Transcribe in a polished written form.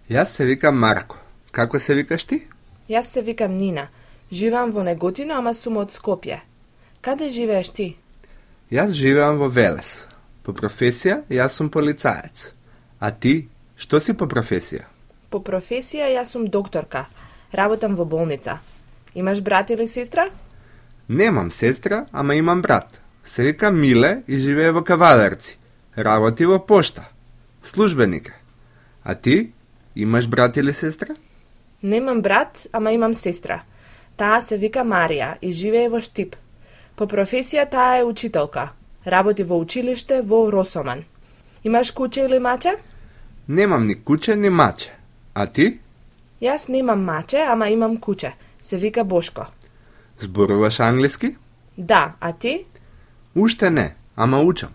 Јас се викам Марко. Како се викаш ти? Јас се викам Нина. Живеам во Неготино, ама сум од Скопје. Каде живееш ти? Јас живеам во Велес. По професија, јас сум полицаец. А ти, што си по професија? По професија јас сум докторка. Работам во болница. Имаш брат или сестра? Немам сестра, ама имам брат. Се вика Миле и живее во Кавадарци. Работи во пошта. Службеник е. А ти, имаш брат или сестра? Немам брат, ама имам сестра. Таа се вика Марија и живее во Штип. По професија таа е учителка. Работи во училиште во Росоман. Имаш куче или маче? Немам ни куче, ни маче. А ти? Јас немам маче, ама имам куче. Се вика Бошко. Зборуваш англиски? Да, а ти? Уште не, ама учам.